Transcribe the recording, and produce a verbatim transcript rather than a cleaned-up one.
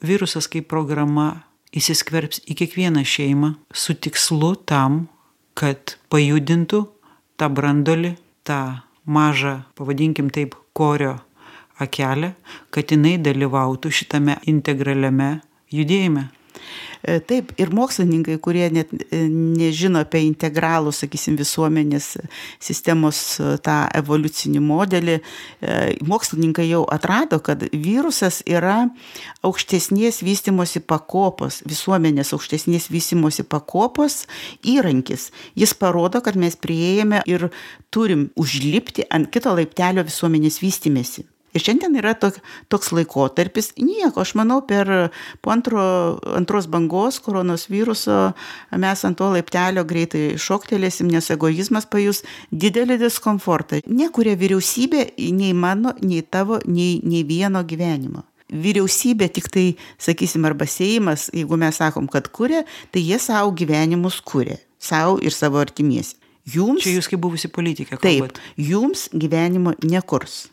virusas kaip programa įsiskverbs į kiekvieną šeimą su tikslu tam, kad pajudintų tą branduolį, tą mažą, pavadinkim taip, korio akelę, kad jinai dalyvautų šitame integraliame judėjime. Taip, ir mokslininkai, kurie net nežino apie integralų, sakysim, visuomenės sistemos tą evoliucinį modelį, mokslininkai jau atrado, kad virusas yra aukštesnės vystymosi pakopos, visuomenės aukštesnės vystymosi pakopos įrankis. Jis parodo, kad mes priėjome ir turim užlipti ant kito laiptelio visuomenės vystymėsi. Ir šiandien yra tok, toks laikotarpis, nieko, aš manau, per po antro, antros bangos koronos viruso mes ant to laiptelio greitai šoktelėsim, nes egoizmas pajus didelį diskomfortą. Nekuria vyriausybė nei mano, nei tavo, nei, nei vieno gyvenimo. Vyriausybė tik tai, sakysim, arba Seimas, jeigu mes sakom, kad kuria, tai jie savo gyvenimus kuria, savo ir savo artimiesi. Jums, čia jūs kaip buvusi politikė kalbat. Taip, jums gyvenimo nekurs.